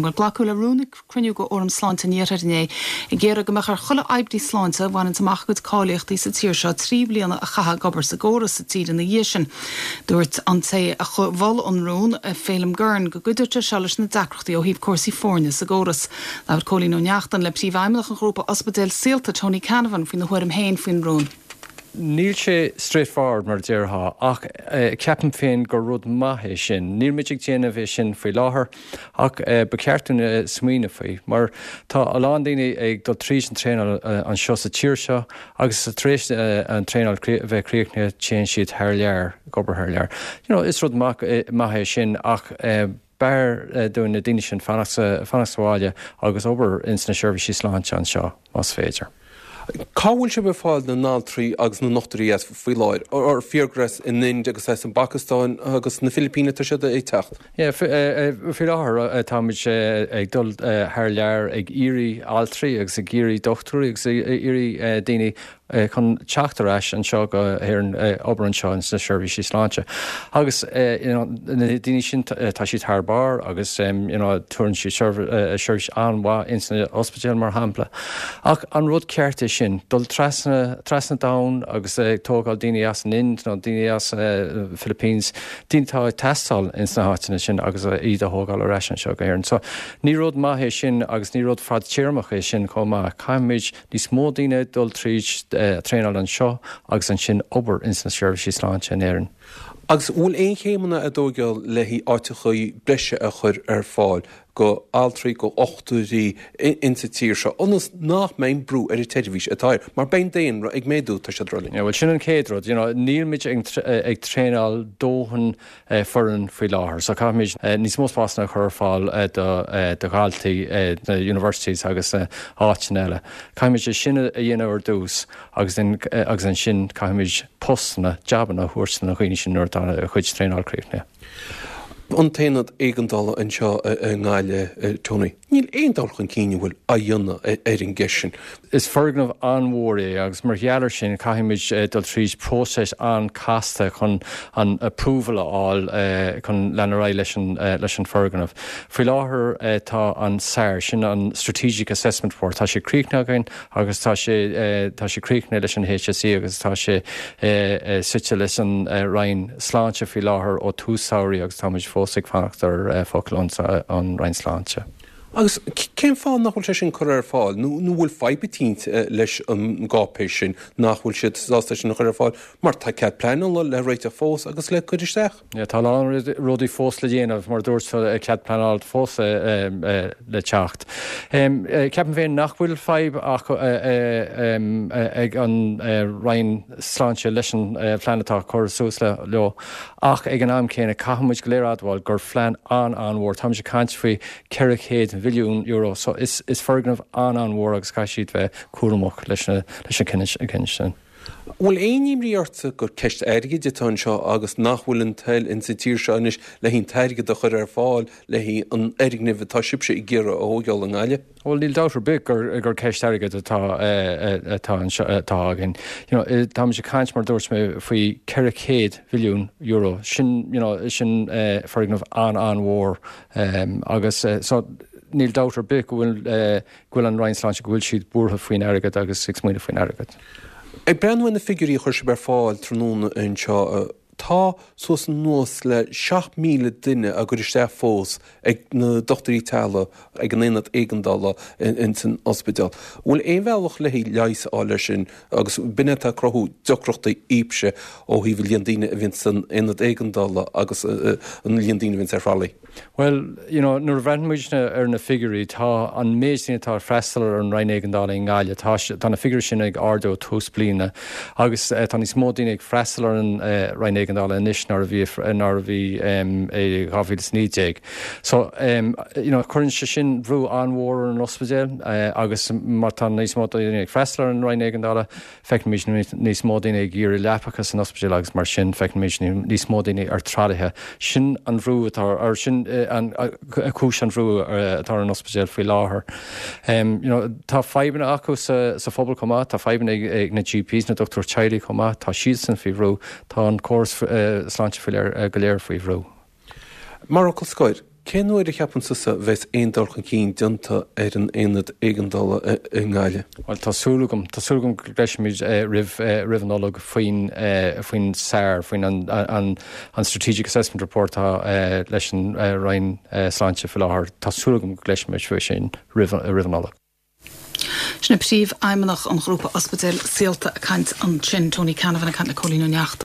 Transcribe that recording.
Gur glacadh le rún ag cruinniú de Fhóram Sláinte an Iarthair inné ag iarraidh go mbeadh ar chuile oibrí sláinte a bhaineanns amach a gcuid cáilíochtaí sa tír seo 3 bliana a chaitheamh ag obair sa gcóras sa tír ina dhiaidh sin. Dúirt an té a mhol an rún, Phelim Gurn, go gcuideodh sé seo leis na deacrachtaí ó thaobh cúrsaí foirne sa gcóras. Labhair Cóilín Ó Neachtain le Príomhfheidhmeannach an ghrúpa ospidéil Saolta, Tony Canavan, faoina thuairim féin faoin rún. Níl sé straightforward mar a déarfá ach ceapaim féin gur rud maith é sin. Níl muid ag déanamh é sin faoi láthair ach ba cheart dúinn smaoineamh faoi mar tá a lán daoine ag dul tríd an traenáil anseo sa tír seo agus tar éis an traenáil a bheith críochnaithe téann siad thar lear, ag obair thar lear. You know, is rud maith é sin ach b'fhearr dúinn na daoine sin fanacht sa bhaile agus obair ins na seirbhísí sláinte anseo, más féidir. Cá bhfuil sibh ag fáil na n-altraí agus na ndochtúirí as faoi láthair? Ar fíor gur as an Ind agus as an bPacastáin agus na Filipíní atá siad ag teacht? Yeah, faoi láthair táimid ag dul thar lear ag iarraidh altraí agus ag iarraidh dochtúirí agus ag iarraidh daoine chun teacht ar ais anseo go hÉirinn, obair anseo ins na seirbhísí sláinte. Agus you know na daoine sin tá siad thar barr agus you know tabharann siad seirbhís an-mhaith ins na ospidéil mar shampla. Ach an rud ceart é sin, dul trasna trasna domhan agus ag tógáil daoine as an Ind nó daoine as Philippines, daoine atá ag teastáil ins na háiteanna sin agus iad a thógáil ar ais anseo go hÉirinn. So ní rud maith é sin agus ní rud fadtéarmach é sin chomh maith. Caithfimid níos mó daoine dul tríd traenáil anseo agus ansin obair ins na seirbhísí sláinte in Éirinn. Agus bhfuil aon chéimeanna á dtógáil le haghaidh áiteachaí breise a chur ar fáil go altraí, go dhochtúirí insa tír seo ionas nach mbeidh brú ar an tseirbhís atá air, mar beidh an daonra ag méadú, tá siad ag rá linn. Yeah, bhuel sin an chéad rud, you know, níl muid ag ag traenáil dóthain foireann faoi láthair. So caithfimid níos mó spásanna a chur ar fáil do do dhaltaí na universities agus na áiteanna eile. Caithfimid é sin a dhéanamh ar dtús agus then agus ansin caithfimid postanna, jabanna a thabhairt do na dhaoine sin nuair atá a chuid traenáil críochnaithe. An t-aonad éigeandála anseo i nGaillimh, Tony. Níl aon dul chun cinn an bhfuil á dhéanamh ar an gceist sin. Is foirgneamh an-mhór é agus mar gheall air sin caithfimid dul tríd próiseas an-chasta chun an approval a fháil chun lean ar aghaidh leis an leis an foirgneamh. Faoi láthair tá an SAR, sin an Strategic Assessment Report, tá sé críochnaithe againn agus tá sé tá sé críochnaithe leis an HSE agus tá sé suite leis an Roinn Sláinte faoi láthair ó tús samhraidh agus táimid fós ag fanacht ar focal ón Roinn Sláinte. Agus cén fáth nach bhfuil sé sin curtha ar fáil? Nó an bhfuil fadhb eicínt leis an gcáipéis sin nach bhfuil siad sásta é sin a chur ar fáil mar tá cead pleanála le réiteach fós agus le cur isteach? Yeah, tá a lán rudaí fós le déanamh, mar a dúirt tú, cead pleanála fós le teacht. Ceapaim féin nach bhfuil fadhb acu ag an Roinn Sláinte leis an phlean atá curtha suas leo ach ag an am céanna caithfidh muid go léir a admháil gur phlean an-an-mhór, táimid ag caint faoi €400 mhilliún so is foirgneamh an-an-mhór agus caithfidh siad bheith cúramach leis an cinneadh sin. Bhfuil aon imní ortsa gur ceist airgid atá anseo agus nach bhfuil an toil insa tír seo anois le haghaidh an t-airgead a chur ar fáil le haghaidh an fhoirgnimh atá sibhse ag iarraidh a thógáil i nGaillimh? Bhuel, níl dabht ar bith gur gur ceist airgid atá atá anseo atá againn. You know, táimid ag caint, mar a dúirt mé, faoi €400 mhilliún. Sin, you know, sin foirgneamh an-an-mhór agus so níl dabht ar bith go bhfuil go bhfuil an Roinn Sláinte, go bhfuil siad buartha faoin airgead agus ag smaoineamh faoin airgead. Ag breathnú ar na figiúirí a chuir sibh ar fáil tráthnóna anseo, Tá suas anuas le 7,000 duine á gcur isteach fós ag na dochtúirí teaghlaigh ag an aonad éigeandála ins an ospidéal. An bhfuil aon bhealach le haghaidh leigheas a fháil air sin agus b'in é atá ag cruthú deacrachtaí daoibhse ó thaobh an líon daoine a bhíonn san aonad éigeandála agus an líon daoine a bhíonns ar thralaí? Bhuel, you know, nuair a bhreathnaíonn muid ar na figiúirí, tá an méid daoine atá ag freastal ar an Roinn Éigeandála i nGaillimh, tá, tá na figiúirí sin ag ardú ó tús bliana agus tá níos mó daoine ag freastal ar an Roinn Éigeandála anois ná a bhí, ná a bhí i 2019. So, you know, cuireann sé sin brú an-mhór ar an ospidéal agus má tá níos mó daoine ag freastal ar an Roinn Éigeandála, Feicimid níos mó daoine ag iarraidh leapacha san ospidéal agus mar sin feicimid níos mó daoine ar tralaithe. Sin an bhrú atá ar, sin an cúis an bhrú atá ar an ospidéal faoi láthair. You know, tá fadhbanna acu sa sa phobal chomh maith, tá fadhbanna ag na GPs, na dochtúirí teaghlaigh chomh maith, tá siadsan faoi bhrú, tá an córas sláinte faoi léir go léir faoi bhrú. Mar fhocal scoir. Cén uair a cheapann tusa a bheas aon dul chun cinn déanta ar an aonad éigeandála i nGaillimh? Bhuel, tá súil agam, tá súil agam go gcloisfimid roimh, roimh an Nollaig faoin, faoin SAR, faoin an, an, an Strategic Assessment Report atá leis an Roinn Sláinte faoi láthair. Tá súil agam go gcloisfimid faoi sin roimh, roimh an Nollaig. Sin é Príomhfheidhmeannach an Ghrúpa Ospidéal Saolta ag caint ansin, Tony Canavan ag caint le Cóilín Ó Neachtain.